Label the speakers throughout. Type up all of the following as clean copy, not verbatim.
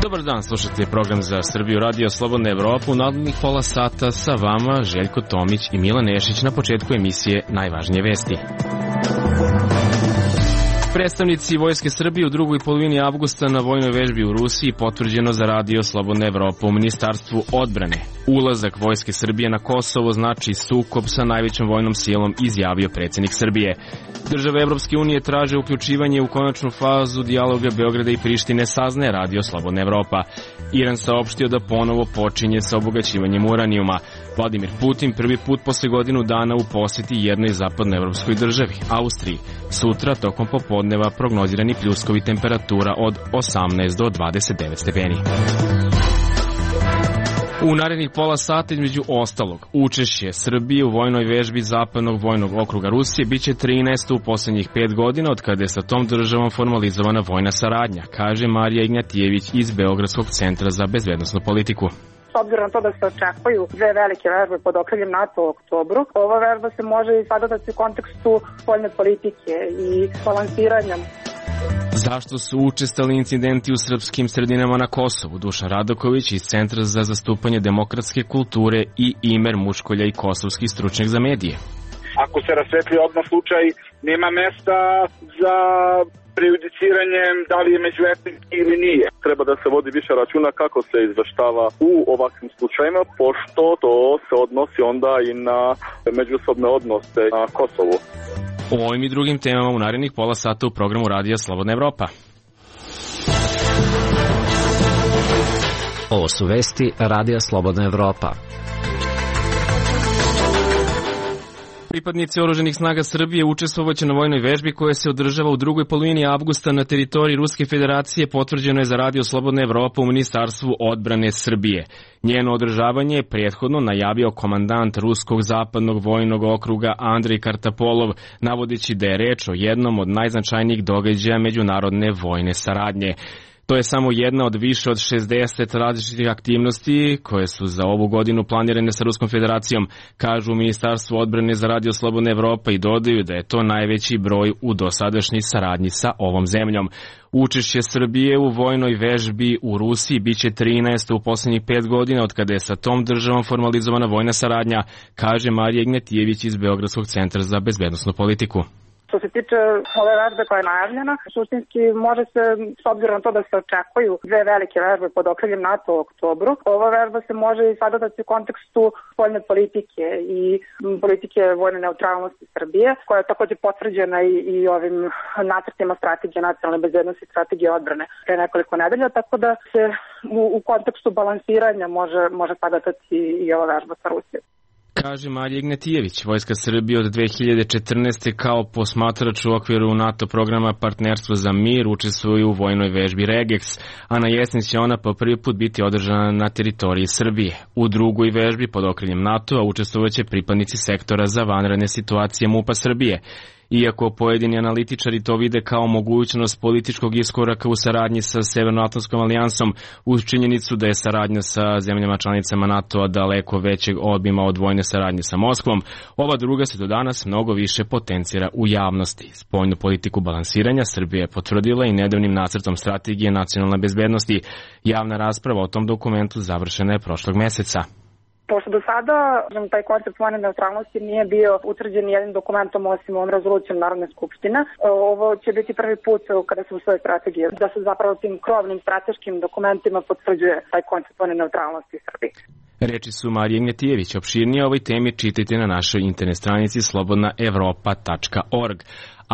Speaker 1: Dobar dan, slušate program za Srbiju Radio Slobodna Evropa. U narednih pola sata sa vama Željko Tomić i Milan Nešić. Na početku emisije najvažnije vesti. Predstavnici Vojske Srbije u drugoj polovini avgusta na vojnoj vežbi u Rusiji potvrđeno za Radio Slobodna Evropa u Ministarstvu odbrane. Ulazak Vojske Srbije na Kosovo znači sukob sa najvećom vojnom silom, izjavio predsjednik Srbije. Države Evropske unije traže uključivanje u konačnu fazu dijaloga Beograda i Prištine, saznaje Radio Slobodna Evropa. Iran saopštio da ponovo počinje sa obogaćivanjem uranijuma. Vladimir Putin prvi put posle godinu dana u posjeti jednoj zapadnoevropskoj državi, Austriji. Sutra tokom popodneva prognozirani pljuskovi, temperatura od 18 do 29 stepeni. U narednih pola sata, između ostalog, učešće Srbije u vojnoj vežbi Zapadnog vojnog okruga Rusije biće 13. u poslednjih 5 godina od kada je sa tom državom formalizovana vojna saradnja, kaže Marija Ignjatijević iz Beogradskog centra za bezbednosnu politiku.
Speaker 2: S obzirom na to da se očekuju dve velike vežbe pod okriljem NATO u oktobru, ova vežba se može i sagledati u kontekstu spoljne politike i balansiranja.
Speaker 1: Zašto su učestali incidenti u srpskim sredinama na Kosovu? Dušan Radoković iz Centra za zastupanje demokratske kulture i Imer Muškolja i kosovski stručnjak za medije.
Speaker 3: Ako se rasvetli odmah slučaj, nema mesta za prejudiciranjem da li je međuetnički ili nije. Treba da se vodi više računa kako se izveštava u ovakvim slučajima, pošto to se odnosi onda i na međusobne odnose na Kosovu.
Speaker 1: O ovim i drugim temama u narednih pola sata u programu Radija Slobodna Evropa.
Speaker 4: Ovo su vesti Radija Slobodna Evropa.
Speaker 1: Pripadnici oružanih snaga Srbije učestvovaće na vojnoj vežbi koja se održava u drugoj polovini avgusta na teritoriji Ruske federacije, potvrđeno je za Radio Slobodna Evropa u Ministarstvu odbrane Srbije. Njeno održavanje je prethodno najavio komandant Ruskog zapadnog vojnog okruga Andrej Kartapolov, navodeći da je reč o jednom od najznačajnijih događaja međunarodne vojne saradnje. To je samo jedna od više od 60 različitih aktivnosti koje su za ovu godinu planirane sa Ruskom federacijom, kažu u Ministarstvu odbrane za Radio Slobodna Evropa i dodaju da je to najveći broj u dosadašnjoj saradnji sa ovom zemljom. Učešće Srbije u vojnoj vežbi u Rusiji biće 13. u poslednjih 5 godina od kada je sa tom državom formalizovana vojna saradnja, kaže Marija Ignjatijević iz Beogradskog centra za bezbednosnu politiku.
Speaker 2: Što se tiče ove vežbe koja je najavljena, suštinski može se, s obzirom na to da se očekuju dve velike vežbe pod okriljem NATO u oktobru, ova vežba se može i sagledati u kontekstu spoljne politike i politike vojne neutralnosti Srbije, koja je takođe potvrđena i ovim nacrtima strategije nacionalne bezbednosti i strategije odbrane pre nekoliko nedelja, tako da se u kontekstu balansiranja može sagledati i ova vežba sa Rusijom.
Speaker 1: Kaže Marija Ignjatijević. Vojska Srbije od 2014. kao posmatrač u okviru NATO programa Partnerstvo za mir učestvuje u vojnoj vežbi Regex, a na jesen će ona po prvi put biti održana na teritoriji Srbije. U drugoj vežbi pod okriljem NATO-a učestvovaće pripadnici sektora za vanredne situacije MUP-a Srbije. Iako pojedini analitičari to vide kao mogućnost političkog iskoraka u saradnji sa Severnoatlantskom alijansom, uz činjenicu da je saradnja sa zemljama članicama NATO-a daleko većeg obima od vojne saradnje sa Moskvom, ova druga se do danas mnogo više potencira u javnosti. Spoljnu politiku balansiranja Srbija je potvrdila i nedavnim nacrtom strategije nacionalne bezbednosti. Javna rasprava o tom dokumentu završena je prošlog meseca.
Speaker 2: Pošto do sada taj koncept vojne neutralnosti nije bio utvrđen jednim dokumentom osim ovom rezolucijom Narodne skupštine, ovo će biti prvi put kada se usvoje strategije, da se zapravo tim krovnim strateškim dokumentima potvrđuje taj koncept vojne neutralnosti Srbije.
Speaker 1: Reči su Marije Ignjatijević. Opširnije o ovoj temi čitajte na našoj internet stranici slobodnaevropa.org.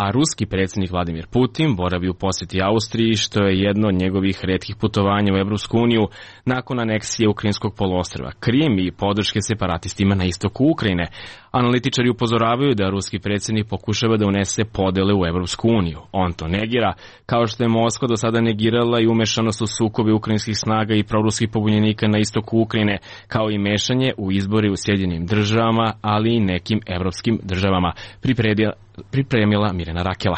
Speaker 1: A ruski predsjednik Vladimir Putin boravi u posjeti Austriji, što je jedno od njegovih retkih putovanja u Evropsku uniju nakon aneksije Ukrajinskog poluostrva Krim i podrške separatistima na istoku Ukrajine. Analitičari upozoravaju da ruski predsjednik pokušava da unese podele u Evropsku uniju. On to negira, kao što je Moskva do sada negirala i umešanost u sukobe ukrajinskih snaga i proruskih pobunjenika na istoku Ukrajine, kao i mešanje u izbore u Sjedinjenim državama, ali i nekim evropskim državama, pripremila Mirjana Rakela.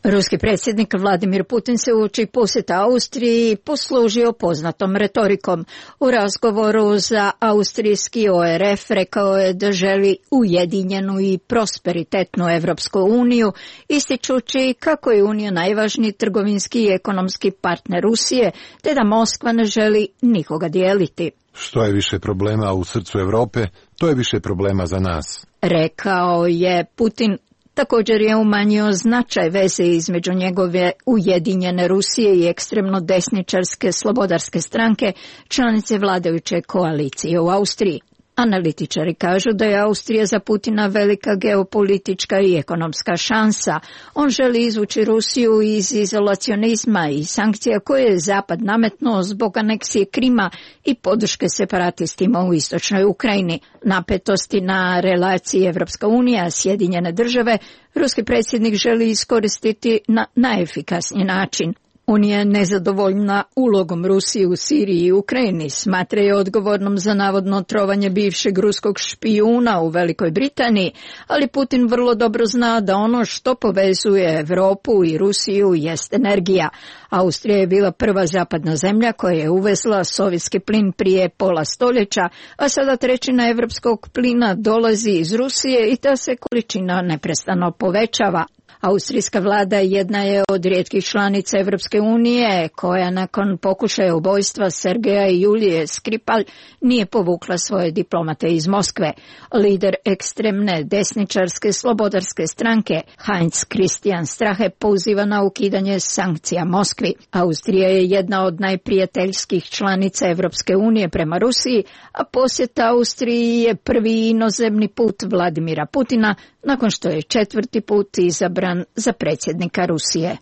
Speaker 5: Ruski predsjednik Vladimir Putin se uoči posjeta Austriji poslužio poznatom retorikom. U razgovoru za austrijski ORF rekao je da želi ujedinjenu i prosperitetnu Evropsku uniju, ističući kako je Unija najvažniji trgovinski i ekonomski partner Rusije, te da Moskva ne želi nikoga dijeliti.
Speaker 6: Što je više problema u srcu Europe, to je više problema za nas,
Speaker 5: rekao je Putin. Također je umanjio značaj veze između njegove ujedinjene Rusije i ekstremno desničarske slobodarske stranke, članice vladajuće koalicije u Austriji. Analitičari kažu da je Austrija za Putina velika geopolitička i ekonomska šansa. On želi izvući Rusiju iz izolacionizma i sankcija koje je Zapad nametnuo zbog aneksije Krima i podrške separatistima u istočnoj Ukrajini. Napetosti na relaciji Evropska unija, Sjedinjene države, ruski predsjednik želi iskoristiti na najefikasniji način. Unija je nezadovoljna ulogom Rusije u Siriji i Ukrajini, smatra je odgovornom za navodno trovanje bivšeg ruskog špijuna u Velikoj Britaniji, ali Putin vrlo dobro zna da ono što povezuje Evropu i Rusiju jest energija. Austrija je bila prva zapadna zemlja koja je uvezla sovjetski plin prije pola stoljeća, a sada trećina evropskog plina dolazi iz Rusije i ta se količina neprestano povećava. Austrijska vlada jedna je od rijetkih članica Evropske unije koja nakon pokušaja ubojstva Sergeja i Julije Skripal nije povukla svoje diplomate iz Moskve. Lider ekstremne desničarske slobodarske stranke Heinz Christian Strache poziva na ukidanje sankcija Moskvi. Austrija je jedna od najprijateljskih članica Evropske unije prema Rusiji, a posjet Austriji je prvi inozemni put Vladimira Putina nakon što je 4. put izabran za predsjednika Rusije.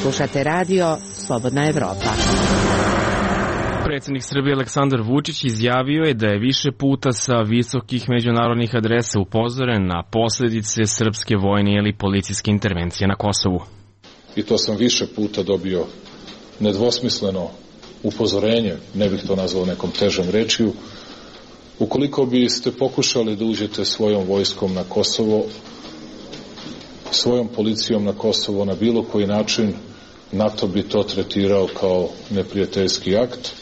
Speaker 7: Slušate radio Slobodna Evropa.
Speaker 1: Predsjednik Srbije Aleksandar Vučić izjavio je da je više puta sa visokih međunarodnih adresa upozoren na posljedice srpske vojne ili policijske intervencije na Kosovu.
Speaker 8: I to sam više puta dobio nedvosmisleno upozorenje, ne bih to nazvao nekom težom rečju. Ukoliko biste pokušali da uđete svojom vojskom na Kosovo, svojom policijom na Kosovo na bilo koji način, NATO bi to tretirao kao neprijateljski akt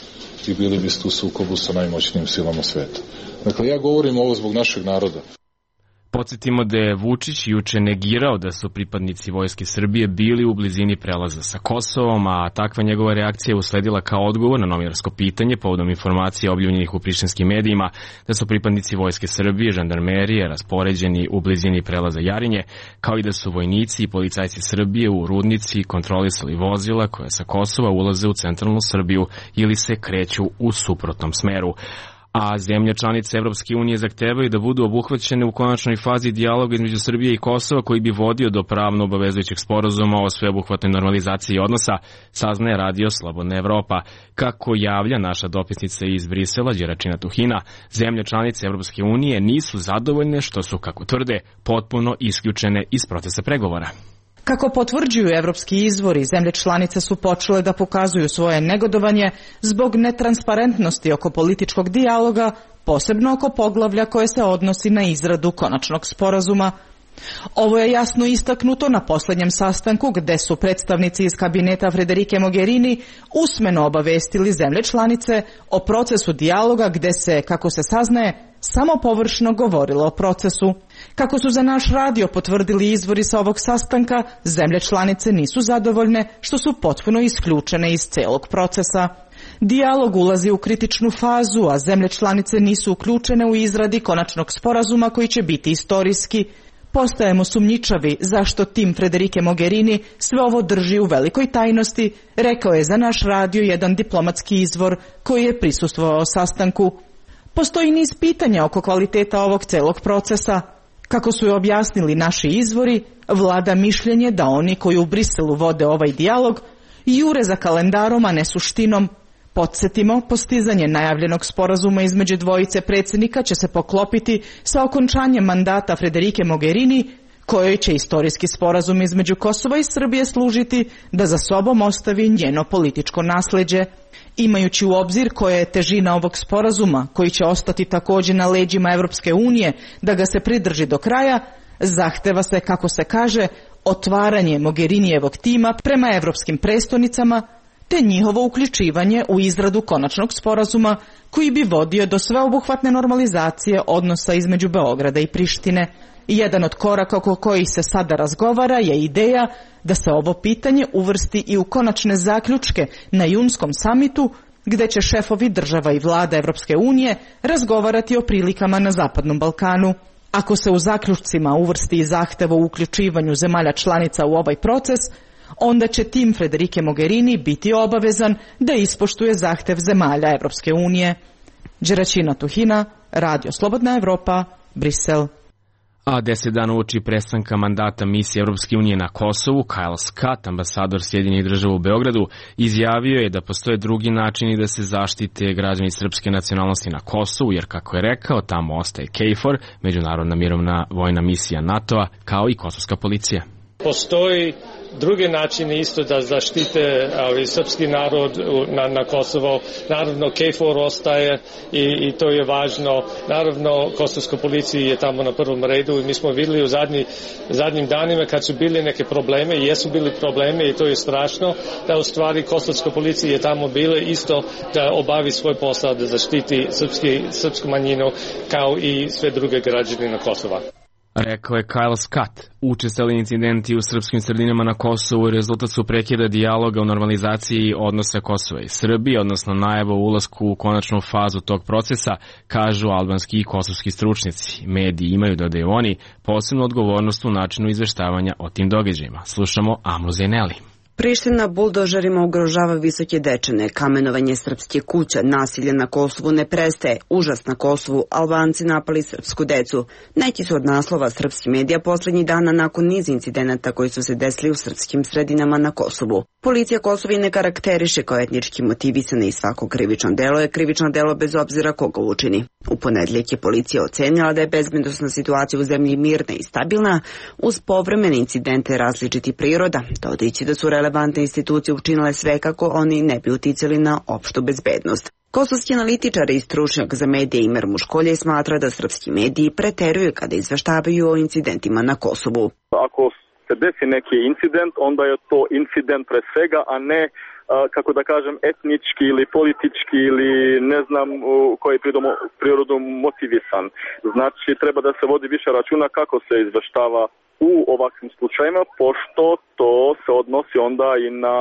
Speaker 8: i bili biste u sukobu sa najmoćnijim silama sveta. Dakle, ja govorim ovo zbog našeg naroda.
Speaker 1: Podsjetimo da je Vučić juče negirao da su pripadnici Vojske Srbije bili u blizini prelaza sa Kosovom, a takva njegova reakcija je usledila kao odgovor na novinarsko pitanje povodom informacija objavljenih u prištinskim medijima da su pripadnici Vojske Srbije, žandarmerije, raspoređeni u blizini prelaza Jarinje, kao i da su vojnici i policajci Srbije u Rudnici kontrolisali vozila koja sa Kosova ulaze u centralnu Srbiju ili se kreću u suprotnom smeru. A zemlje članice Evropske unije zahtevaju da budu obuhvaćene u konačnoj fazi dijaloga između Srbije i Kosova koji bi vodio do pravno obavezujućeg sporazuma o sveobuhvatnoj normalizaciji odnosa, saznaje radio Slobodna Evropa. Kako javlja naša dopisnica iz Brisela, Đeračina Tuhina, zemlje članice Evropske unije nisu zadovoljne što su, kako tvrde, potpuno isključene iz procesa pregovora.
Speaker 9: Kako potvrđuju evropski izvori, zemlje članice su počele da pokazuju svoje negodovanje zbog netransparentnosti oko političkog dijaloga, posebno oko poglavlja koje se odnosi na izradu konačnog sporazuma. Ovo je jasno istaknuto na posljednjem sastanku gde su predstavnici iz kabineta Federike Mogherini usmeno obavestili zemlje članice o procesu dijaloga gde se, kako se saznaje, samo površno govorilo o procesu. Kako su za naš radio potvrdili izvori sa ovog sastanka, zemlje članice nisu zadovoljne što su potpuno isključene iz celog procesa. Dijalog ulazi u kritičnu fazu, a zemlje članice nisu uključene u izradi konačnog sporazuma koji će biti istorijski. Postajemo sumnjičavi zašto tim Federike Mogherini sve ovo drži u velikoj tajnosti, rekao je za naš radio jedan diplomatski izvor koji je prisustvovao sastanku. Postoji niz pitanja oko kvaliteta ovog celog procesa. Kako su je objasnili naši izvori, vlada mišljenje da oni koji u Briselu vode ovaj dijalog jure za kalendarom, a ne suštinom. Podsjetimo, postizanje najavljenog sporazuma između dvojice predsjednika će se poklopiti sa okončanjem mandata Federike Mogherini, kojoj će istorijski sporazum između Kosova i Srbije služiti da za sobom ostavi njeno političko nasleđe. Imajući u obzir koja je težina ovog sporazuma, koji će ostati također na leđima Evropske unije da ga se pridrži do kraja, zahteva se, kako se kaže, otvaranje Mogherinijevog tima prema evropskim prestonicama, te njihovo uključivanje u izradu konačnog sporazuma koji bi vodio do sveobuhvatne normalizacije odnosa između Beograda i Prištine. Jedan od koraka oko kojih se sada razgovara je ideja da se ovo pitanje uvrsti i u konačne zaključke na junskom samitu, gde će šefovi država i vlada Evropske unije razgovarati o prilikama na Zapadnom Balkanu. Ako se u zaključcima uvrsti i zahtev o uključivanju zemalja članica u ovaj proces, onda će tim Federike Mogherini biti obavezan da ispoštuje zahtev zemalja Evropske unije. Đeraćina Tuhina, Radio Slobodna Evropa, Brisel.
Speaker 1: A 10 dana uoči prestanka mandata misije Evropske unije na Kosovu, Kyle Scott, ambasador Sjedinjenih država u Beogradu, izjavio je da postoje drugi načini da se zaštite građani srpske nacionalnosti na Kosovu, jer kako je rekao, tamo ostaje KFOR, međunarodna mirovna vojna misija NATO-a, kao i kosovska policija.
Speaker 10: Postoji druge načine isto da zaštite srpski narod na Kosovo. Naravno, KFOR ostaje i to je važno. Naravno, kosovska policija je tamo na prvom redu i mi smo vidjeli u zadnjim danima kad su bili neke probleme i jesu bili probleme i to je strašno, da u stvari kosovska policija je tamo bila isto da obavi svoj posao, da zaštiti srpsku manjinu kao i sve druge građane na Kosova.
Speaker 1: Rekao je Kyle Scott. Učestali incidenti u srpskim sredinama na Kosovu rezultat su prekida dijaloga o normalizaciji odnosa Kosova i Srbije, odnosno najava o ulasku u konačnu fazu tog procesa, kažu albanski i kosovski stručnjaci. Mediji imaju, dodaju oni, posebnu odgovornost u načinu izveštavanja o tim događajima. Slušamo Amru Zeneli.
Speaker 11: Priština buldožerima ugrožava Visoke Dečane, kamenovanje srpske kuća, nasilje na Kosovu ne prestaje, užas na Kosovu, Albanci napali srpsku decu. Neki su od naslova srpskih medija poslednjih dana nakon niz incidenata koji su se desili u srpskim sredinama na Kosovu. Policija Kosovo ne karakteriše kao etnički motivisane i svako krivično delo je krivično delo bez obzira koga učini. U ponedeljak je policija ocenila da je bezbednosna situacija u zemlji mirna i stabilna uz povremene incidente različitih priroda, dodajući da su relevantne institucije učinile sve kako oni ne bi uticali na opštu bezbednost. Kosovski analitičar i stručnjak za medije Imer Muškolje smatra da srpski mediji preteruju kada izveštavaju o incidentima na Kosovu.
Speaker 3: Ako se desi neki incident, onda je to incident pre svega, a ne kako da kažem, etnički ili politički ili ne znam koji je prirodom motivisan. Znači, treba da se vodi više računa kako se izveštava u ovakvim slučajima, pošto to se odnosi onda i na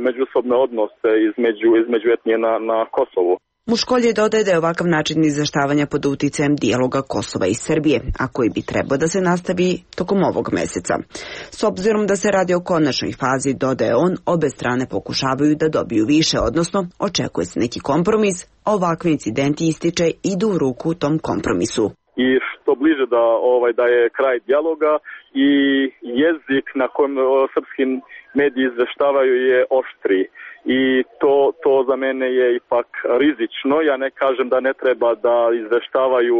Speaker 3: međusobne odnose između etnije na Kosovu.
Speaker 11: Muškolje dodaje da je ovakav način izveštavanja pod uticajem dijaloga Kosova i Srbije, a koji bi trebao da se nastavi tokom ovog meseca. S obzirom da se radi o konačnoj fazi, dodaje on, obe strane pokušavaju da dobiju više, odnosno očekuje se neki kompromis, a ovakvi incidenti ističe idu u ruku tom kompromisu.
Speaker 3: I što bliže da je kraj dijaloga i jezik na kojem srpski mediji izveštavaju je oštriji. I to za mene je ipak rizično. Ja ne kažem da ne treba da izveštavaju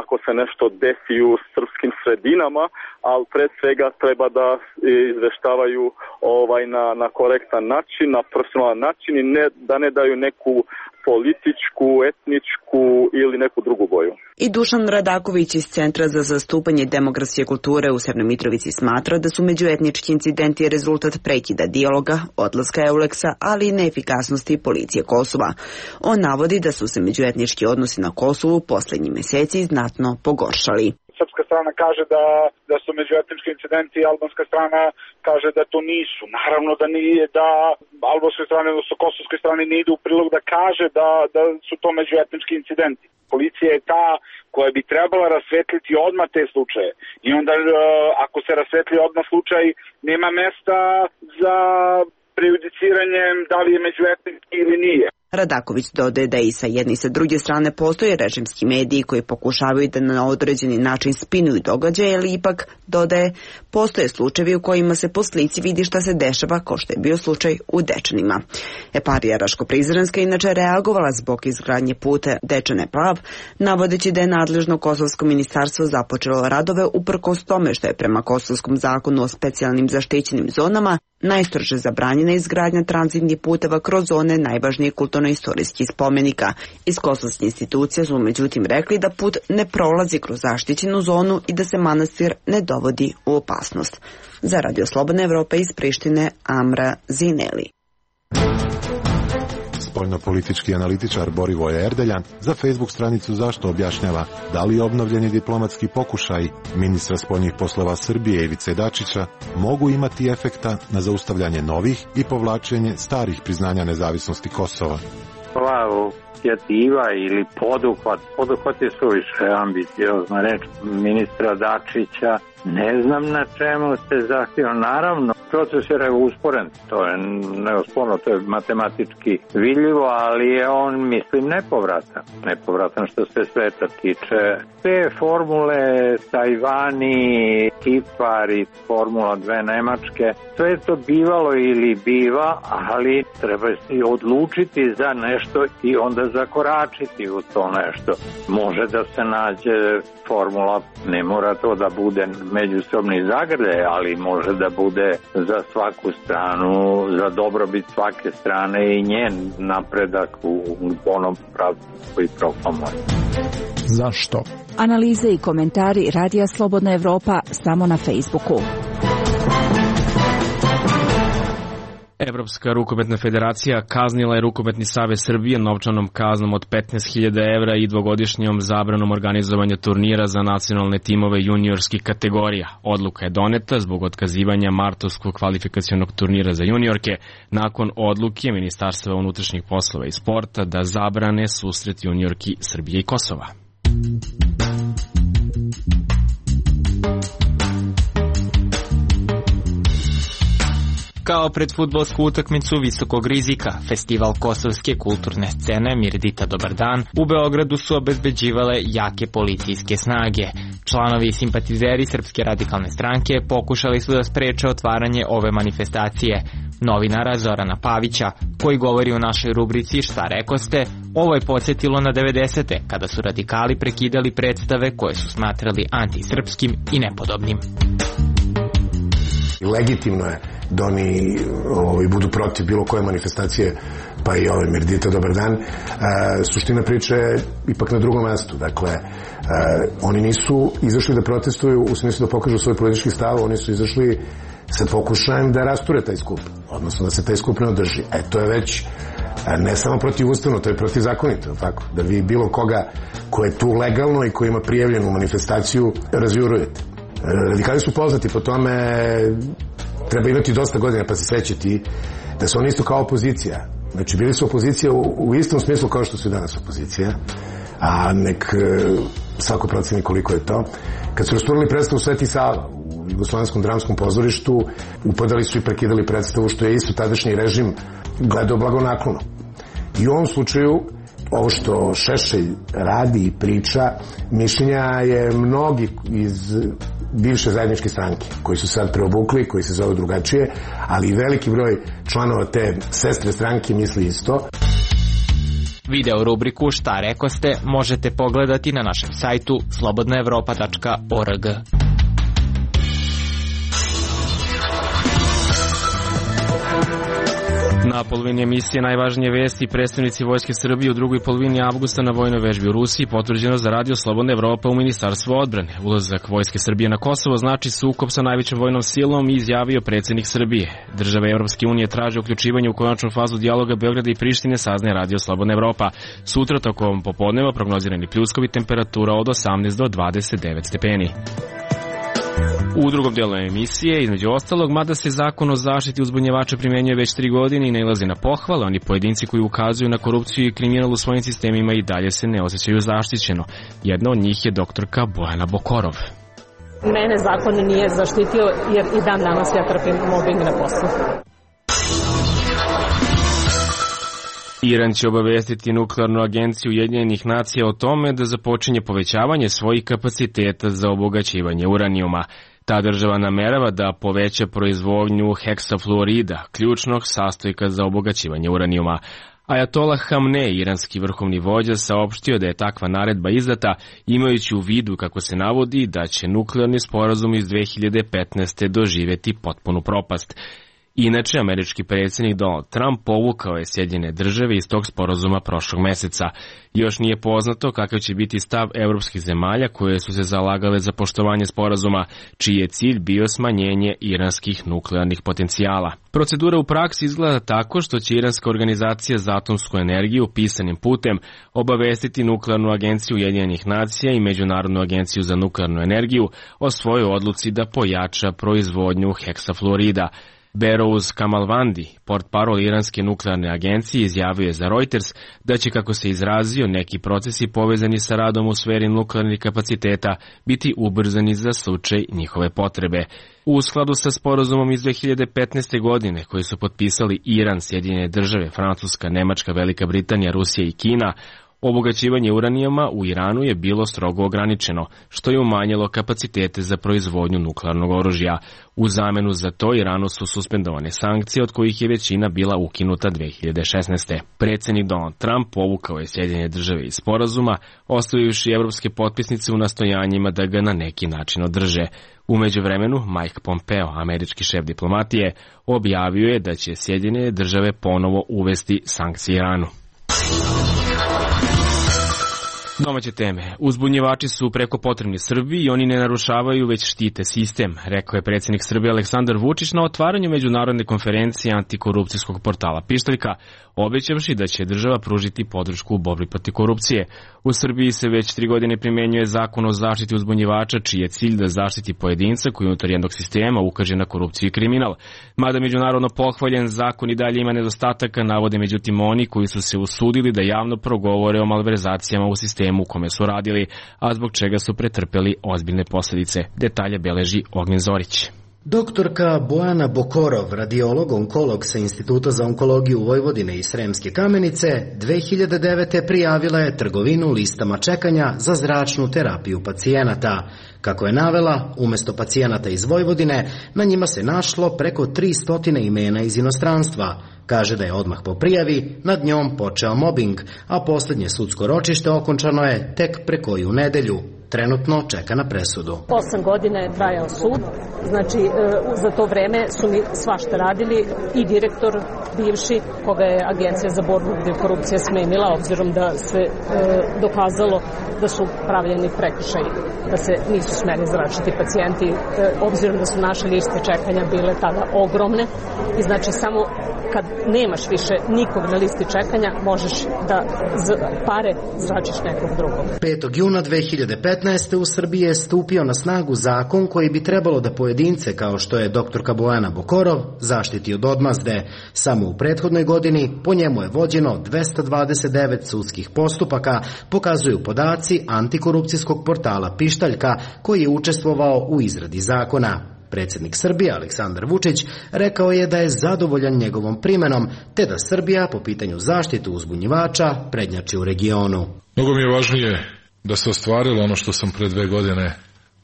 Speaker 3: ako se nešto desi u srpskim sredinama, ali pre svega treba da izveštavaju na korektan način, na profesionalan način i da ne daju neku političku, etničku ili neku drugu boju.
Speaker 11: I Dušan Radaković iz Centra za zastupanje demografske kulture u Severnoj Mitrovici smatra da su međuetnički incidenti rezultat prekida dijaloga, odlaska Euleksa, ali i neefikasnosti policije Kosova. On navodi da su se međuetnički odnosi na Kosovu poslednjih meseci znatno pogoršali.
Speaker 12: Srpska strana kaže da su međuetnički incidenti, albanska strana kaže da to nisu. Naravno da nije, da albanskoj strane, odnosno kosovskoj strane ne ide u prilog da kaže da su to međuetnički incidenti. Policija je ta koja bi trebala rasvetliti odmah te slučaje. I onda ako se rasvetli odmah slučaj, nema mesta za prejudiciranjem da li je međuetnički ili nije.
Speaker 11: Radaković dodaje da i sa jedne i sa druge strane postoje režimski mediji koji pokušavaju da na određeni način spinuju događaje, ali ipak, dodaje, postoje slučajevi u kojima se po slici vidi šta se dešava, kao što je bio slučaj u Dečanima. Eparija Raško-Prizrenska inače reagovala zbog izgradnje puta Dečane-Plav, navodeći da je nadležno kosovsko ministarstvo započelo radove uprkos tome što je prema kosovskom zakonu o specijalnim zaštićenim zonama najstrože zabranjena izgradnja tranzitnih puteva kroz zone najvažnijih kulturno-istorijskih spomenika. Iz kosovskih institucija su međutim rekli da put ne prolazi kroz zaštićenu zonu i da se manastir ne dovodi u opasnost. Za Radio Slobodna Evropa iz Prištine, Amra Zineli.
Speaker 6: Spoljnopolitički analitičar Borivoje Erdeljan za Facebook stranicu Zašto objašnjava da li obnovljeni diplomatski pokušaj ministra spoljnih poslova Srbije Ivice Dačića mogu imati efekta na zaustavljanje novih i povlačenje starih priznanja nezavisnosti Kosova.
Speaker 13: Ova inicijativa ili poduhvat je suviše ambiciozna reč ministra Dačića. Ne znam na čemu se zahtjeva. Naravno, proces je usporen, to je neosporno, to je matematički vidljivo, ali je on, mislim, nepovratan. Nepovratan što se sveta tiče. Te formule, Tajvani, Kipar i Formula 2 Nemačke, sve je to bivalo ili biva, ali treba si odlučiti za nešto i onda zakoračiti u to nešto. Može da se nađe formula, ne mora to da bude međusobni zagrljaj, ali može da bude za svaku stranu, za dobrobit svake strane i njen napredak u onom pravcu koji proklamuje.
Speaker 14: Zašto?
Speaker 15: Analize i komentari Radija Slobodna Evropa samo na Facebooku.
Speaker 1: Evropska rukometna federacija kaznila je Rukometni savez Srbije novčanom kaznom od 15.000 evra i dvogodišnjom zabranom organizovanja turnira za nacionalne timove juniorskih kategorija. Odluka je doneta zbog otkazivanja martovskog kvalifikacionog turnira za juniorke nakon odluke Ministarstva unutrašnjih poslova i sporta da zabrane susret juniorki Srbije i Kosova.
Speaker 16: Kao pred fudbalsku utakmicu visokog rizika, festival kosovske kulturne scene Mirdita Dobar dan u Beogradu su obezbeđivale jake policijske snage. Članovi i simpatizeri Srpske radikalne stranke pokušali su da spreče otvaranje ove manifestacije. Novinara Zorana Pavića, koji govori u našoj rubrici Šta rekoste, ovo je podsjetilo na 90. kada su radikali prekidali predstave koje su smatrali antisrpskim i nepodobnim.
Speaker 17: Legitimno je da oni budu protiv bilo koje manifestacije, pa i ove Mirdita Dobar dan. Suština priče je ipak na drugom mestu. Dakle, oni nisu izašli da protestuju u smislu da pokažu svoj politički stav, oni su izašli sa pokušajem da rasture taj skup, odnosno da se taj skup ne održi. To je već ne samo protivustavno, to je protivzakonito, tako? Da vi bilo koga ko je tu legalno i ko ima prijavljenu manifestaciju razjurujete. Radikali su poznati po tome, treba imati dosta godina pa se sećati da su oni isto kao opozicija. Znači bili su opozicija u istom smislu kao što su i danas opozicija, a nek svako proceni koliko je to. Kad su rasturali predstavu Sveti Sava u Jugoslovenskom dramskom pozorištu, upadali su i prekidali predstavu, što je isto tadašnji režim gledao blagonaklono. I u ovom slučaju ovo što Šešelj radi i priča, mišljenja je mnogi iz bivše zajedničke stranke, koji su sad preobukli, koji se zove drugačije, ali i veliki broj članova te sestre stranke misli isto.
Speaker 16: Video rubriku Šta rekoste možete pogledati na našem sajtu slobodnaevropa.org.
Speaker 1: Na polovini emisije najvažnije vesti predstavnici Vojske Srbije u drugoj polovini avgusta na vojnoj vežbi u Rusiji potvrđeno za Radio Slobodna Evropa u Ministarstvu odbrane. Ulazak Vojske Srbije na Kosovo znači sukob sa najvećom vojnom silom i izjavio predsjednik Srbije. Države Evropske unije traže uključivanje u konačnu fazu dijaloga Beograda i Prištine, saznaje Radio Slobodna Evropa. Sutra tokom popodneva prognozirani pljuskovi, temperatura od 18 do 29 stepeni. U drugom dijelu emisije, između ostalog, mada se zakon o zaštiti uzbunjevača primjenjuje već 3 godine i nailazi na pohvale, oni pojedinci koji ukazuju na korupciju i kriminal u svojim sistemima i dalje se ne osjećaju zaštićeno. Jedna od njih je doktorka Bojana Bokorov.
Speaker 18: Mene zakon nije zaštitio jer i dan danas ja trpim mobbing na poslu.
Speaker 1: Iran će obavestiti Nuklearnu agenciju Ujedinjenih nacija o tome da započinje povećavanje svojih kapaciteta za obogaćivanje uranijuma. Ta država namerava da poveća proizvodnju heksafluorida, ključnog sastojka za obogaćivanje uranijuma. Ajatolah Hamnei, iranski vrhovni vođa, saopštio da je takva naredba izdata, imajući u vidu, kako se navodi, da će nuklearni sporazum iz 2015. doživjeti potpunu propast. Inače, američki predsjednik Donald Trump povukao je Sjedinjene države iz tog sporazuma prošlog meseca. Još nije poznato kakav će biti stav evropskih zemalja koje su se zalagale za poštovanje sporazuma, čiji je cilj bio smanjenje iranskih nuklearnih potencijala. Procedura u praksi izgleda tako što će Iranska organizacija za atomsku energiju pisanim putem obavestiti Nuklearnu agenciju Ujedinjenih nacija i Međunarodnu agenciju za nuklearnu energiju o svojoj odluci da pojača proizvodnju heksafluorida. Berouz Kamalvandi, portparol Iranske nuklearne agencije, izjavio je za Reuters da će, kako se izrazio, neki procesi povezani sa radom u sferi nuklearnih kapaciteta biti ubrzani za slučaj njihove potrebe. U skladu sa sporazumom iz 2015. godine koji su potpisali Iran, Sjedinjene države, Francuska, Nemačka, Velika Britanija, Rusija i Kina, obogaćivanje uranijuma u Iranu je bilo strogo ograničeno, što je umanjilo kapacitete za proizvodnju nuklearnog oružja. U zamenu za to Iranu su suspendovane sankcije, od kojih je većina bila ukinuta 2016. Predsjednik Donald Trump povukao je Sjedinjene države iz sporazuma, ostavivši evropske potpisnice u nastojanjima da ga na neki način održe. U međuvremenu, Mike Pompeo, američki šef diplomatije, objavio je da će Sjedinjene države ponovo uvesti sankcije Iranu. Domaće teme. Uzbunjivači su preko potrebni Srbiji i oni ne narušavaju, već štite sistem, rekao je predsjednik Srbije Aleksandar Vučić na otvaranju međunarodne konferencije antikorupcijskog portala Pištaljka, obećavši da će država pružiti podršku u borbi protiv korupcije. U Srbiji se već 3 godine primjenjuje zakon o zaštiti uzbunjivača, čiji je cilj da zaštiti pojedinca koji unutar jednog sistema ukaže na korupciju i kriminal. Mada međunarodno pohvaljen, zakon i dalje ima nedostataka, navode međutim oni koji su se usudili da javno progovore o malverzacijama u sistemu u kome su radili, a zbog čega su pretrpeli ozbiljne posljedice. Detalje beleži Ognjen Zorić.
Speaker 14: Doktorka Bojana Bokorov, radiolog-onkolog sa Instituta za onkologiju Vojvodine i Sremske Kamenice, 2009. prijavila je trgovinu listama čekanja za zračnu terapiju pacijenata. Kako je navela, umjesto pacijenata iz Vojvodine, na njima se našlo preko 300 imena iz inostranstva. Kaže da je odmah po prijavi nad njom počeo mobing, a posljednje sudsko ročište okončano je tek pre koju nedelju. Trenutno čeka na presudu.
Speaker 18: 8 godina je trajao sud, znači za to vreme su mi svašta radili i direktor bivši, koga je Agencija za borbu protiv korupcije smjenila, obzirom da se dokazalo da su pravljeni prekršaji, da se nisu smeli zračiti pacijenti, obzirom da su naše liste čekanja bile tada ogromne i znači samo kad nemaš više nikog na listi čekanja, možeš da pare zračiš nekog drugog.
Speaker 14: 5. juna 2015. u Srbiji je stupio na snagu zakon koji bi trebalo da pojedince, kao što je doktorka Bojana Bokorov, zaštiti od odmazde. Samo u prethodnoj godini po njemu je vođeno 229 sudskih postupaka, pokazuju podaci antikorupcijskog portala Pištaljka, koji je učestvovao u izradi zakona. Predsjednik Srbije Aleksandar Vučić rekao je da je zadovoljan njegovom primenom, te da Srbija po pitanju zaštitu uzbunjivača prednjači u regionu.
Speaker 8: Mnogo mi je važnije da se ostvarilo ono što sam pre 2 godine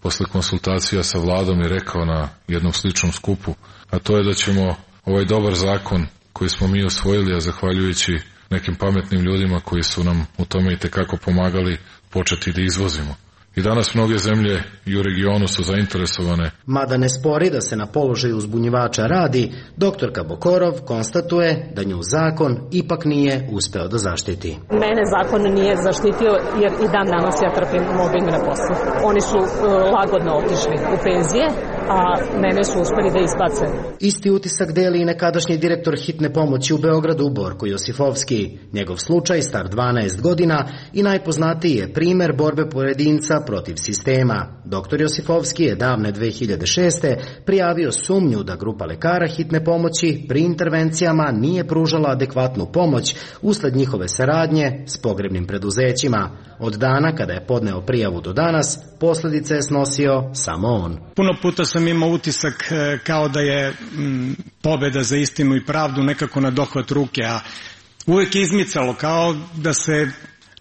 Speaker 8: posle konsultacija sa vladom i rekao na jednom sličnom skupu, a to je da ćemo ovaj dobar zakon koji smo mi osvojili, a zahvaljujući nekim pametnim ljudima koji su nam u tome i tekako pomagali, početi da izvozimo. I danas mnoge zemlje i u regionu su zainteresovane.
Speaker 14: Mada ne spori da se na položaju uzbunjivača radi, doktorka Bokorov konstatuje da nju zakon ipak nije uspeo da zaštiti.
Speaker 18: Mene zakon nije zaštitio jer i dan danas ja trpim mobbing na poslu. Oni su lagodno otišli u penzije, a mene su uspeli da izbace.
Speaker 14: Isti utisak deli i nekadašnji direktor hitne pomoći u Beogradu Borko Josifovski. Njegov slučaj, star 12 godina i najpoznatiji je primer borbe pojedinca protiv sistema. Doktor Josifovski je davne 2006. prijavio sumnju da grupa lekara hitne pomoći pri intervencijama nije pružala adekvatnu pomoć usled njihove saradnje s pogrebnim preduzećima. Od dana kada je podneo prijavu do danas, posljedice je snosio samo on.
Speaker 19: Puno puta sam imao utisak kao da je pobjeda za istinu i pravdu nekako na dohvat ruke, a uvijek je izmicalo kao da se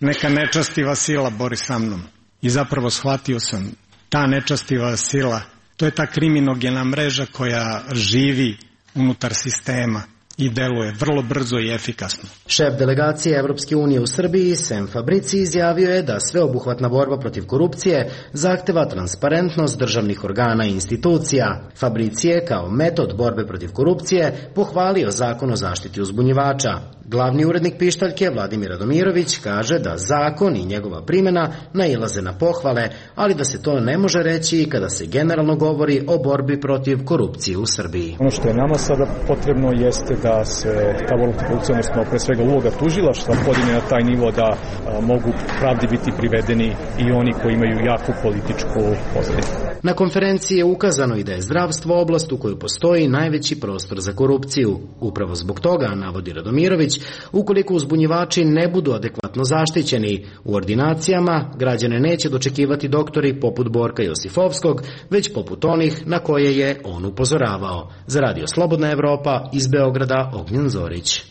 Speaker 19: neka nečastiva sila bori sa mnom. I zapravo shvatio sam, ta nečastiva sila, to je ta kriminogena mreža koja živi unutar sistema i deluje vrlo brzo i efikasno.
Speaker 14: Šef delegacije Evropske unije u Srbiji, Sem Fabrici, izjavio je da sveobuhvatna borba protiv korupcije zahteva transparentnost državnih organa i institucija. Fabrici je kao metod borbe protiv korupcije pohvalio zakon o zaštiti uzbunjivača. Glavni urednik Pištaljke, Vladimir Radomirović, kaže da zakon i njegova primjena nailaze na pohvale, ali da se to ne može reći i kada se generalno govori o borbi protiv korupcije u Srbiji.
Speaker 20: Ono što je nama sada potrebno jeste da se ta borba protiv korupcije, odnosno pre svega uloga tužilaštva, podigne na taj nivo da mogu pravdi biti privedeni i oni koji imaju jaku političku pozadinu.
Speaker 14: Na konferenciji je ukazano i da je zdravstvo oblast u kojoj postoji najveći prostor za korupciju. Upravo zbog toga, navodi Radomirović, ukoliko uzbunjivači ne budu adekvatno zaštićeni u ordinacijama, građane neće dočekivati doktori poput Borka Josifovskog, već poput onih na koje je on upozoravao. Za Radio Slobodna Evropa, iz Beograda, Ognjen Zorić.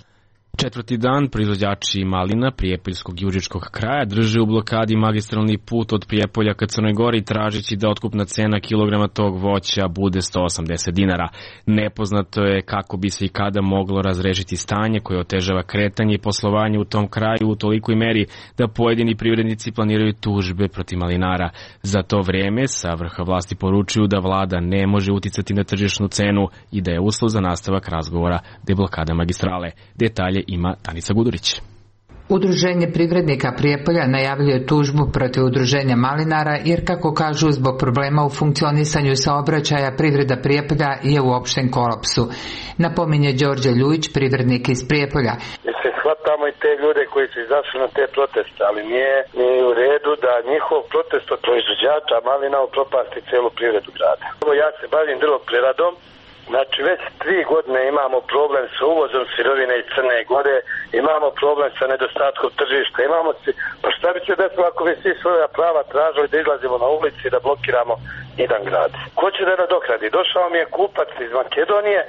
Speaker 1: Četvrti dan proizvođači malina Prijepoljskog i Užičkog kraja drže u blokadi magistralni put od Prijepolja ka Crnoj Gori, tražeći da otkupna cena kilograma tog voća bude 180 dinara. Nepoznato je kako bi se i kada moglo razrešiti stanje koje otežava kretanje i poslovanje u tom kraju u tolikoj meri da pojedini privrednici planiraju tužbe protiv malinara. Za to vreme sa vrha vlasti poručuju da vlada ne može uticati na tržišnu cenu i da je uslov za nastavak razgovora deblokada magistrale. Detalje ima Danica Gudurić.
Speaker 21: Udruženje privrednika Prijepolja najavljuje tužbu protiv udruženja malinara jer, kako kažu, zbog problema u funkcionisanju saobraćaja privreda Prijepolja je u opštem kolapsu. Napominje Đorđe Ljujić, privrednik iz Prijepolja.
Speaker 22: Mislim, shvatamo i te ljude koji su izašli na te proteste, ali nije u redu da njihov protest od proizvođača malina upropasti celu privredu grada. Ja se bavim drvopreradom. Znači, već 3 godine imamo problem sa uvozom sirovine iz Crne Gore, imamo problem sa nedostatkom tržišta, pa šta bi se desilo ako bi svi svoja prava tražili da izlazimo na ulici i da blokiramo jedan grad? Ko će da nadokradi? Došao mi je kupac iz Makedonije,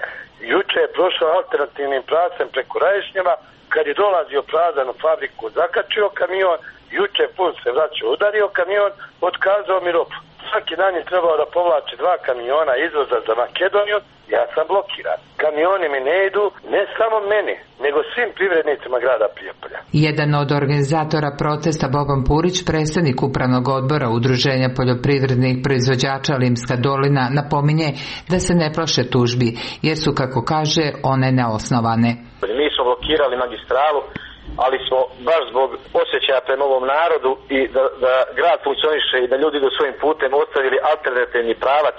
Speaker 22: juče je prošao alternativnim pravcem preko Raješnjeva, kad je dolazio prazan u fabriku, zakačio kamion, juče pun se vraćao, udario kamion, otkazao mi robu. Svaki dan je trebao da povlači 2 kamiona izvoza za Makedoniju, ja sam blokiran. Kamioni mi ne idu, ne samo meni, nego svim privrednicima grada Prijepolja.
Speaker 21: Jedan od organizatora protesta, Boban Purić, predstavnik upravnog odbora Udruženja poljoprivrednih proizvođača Limska dolina, napominje da se ne plaše tužbi, jer su, kako kaže, one neosnovane.
Speaker 22: Mi smo blokirali magistralu, ali smo baš zbog osjećaja prema ovom narodu i da grad funkcioniše i da ljudi idu svojim putem ostavili alternativni pravac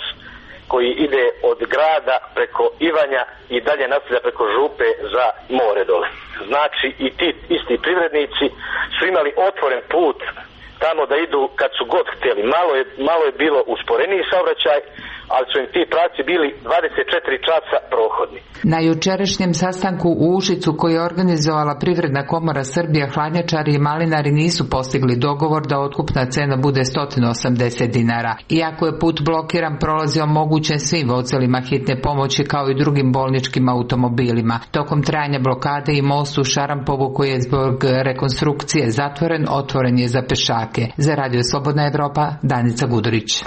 Speaker 22: koji ide od grada preko Ivanja i dalje nastavlja preko Župe za more dole. Znači i ti isti privrednici su imali otvoren put tamo da idu kad su god htjeli. Malo je bilo usporeniji saobraćaj, ali su im ti pravci bili 24 časa prohodni.
Speaker 21: Na jučerašnjem sastanku u Užicu koji je organizovala Privredna komora Srbije, hladnjačari i malinari nisu postigli dogovor da otkupna cena bude 180 dinara. Iako je put blokiran, prolazi omogućen svim vozilima hitne pomoći kao i drugim bolničkim automobilima. Tokom trajanja blokade i most u Šarampovu koji je zbog rekonstrukcije zatvoren, otvoren je za pešake. Za Radio Slobodna Evropa, Danica Gudurić.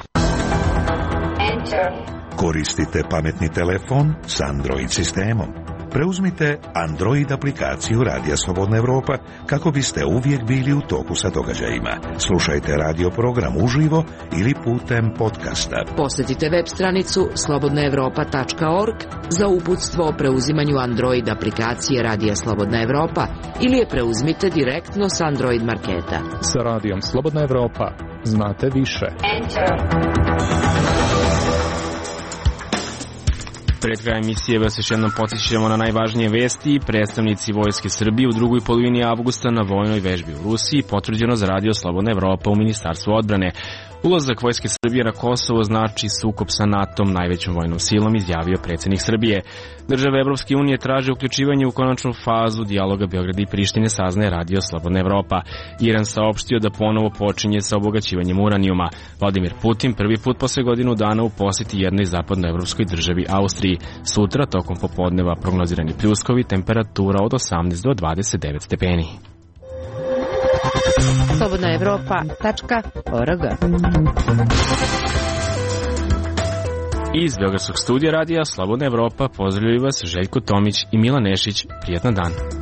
Speaker 23: Koristite pametni telefon s Android sistemom. Preuzmite Android aplikaciju Radija Slobodna Evropa kako biste uvijek bili u toku sa događajima. Slušajte radio program uživo ili putem podcasta.
Speaker 7: Posjetite web stranicu slobodnaevropa.org za uputstvo o preuzimanju Android aplikacije Radija Slobodna Evropa ili je preuzmite direktno s Android marketa.
Speaker 24: Sa Radijom Slobodna Evropa znate više.
Speaker 1: Pred krajem emisije vas još jednom podsjećamo na najvažnije vesti. Predstavnici Vojske Srbije u drugoj polovini avgusta na vojnoj vežbi u Rusiji potvrđeno za Radio Slobodna Evropa u Ministarstvu odbrane. Ulazak Vojske Srbije na Kosovo znači sukob sa NATO-om, najvećom vojnom silom, izjavio predsjednik Srbije. Države Evropske unije traže uključivanje u konačnu fazu dijaloga Beograda i Prištine, saznaje Radio Slobodna Evropa. Iran saopštio da ponovo počinje sa obogaćivanjem uranijuma. Vladimir Putin prvi put posle godinu dana u posjeti jednoj zapadnoevropskoj državi Austriji. Sutra tokom popodneva prognozirani pljuskovi, temperatura od 18 do 29 stepeni.
Speaker 7: slobodnaevropa.org.
Speaker 1: Iz Beogradskog studija radija Slobodna Evropa pozdravljaju vas Željko Tomić i Milan Nešić. Prijatna dan.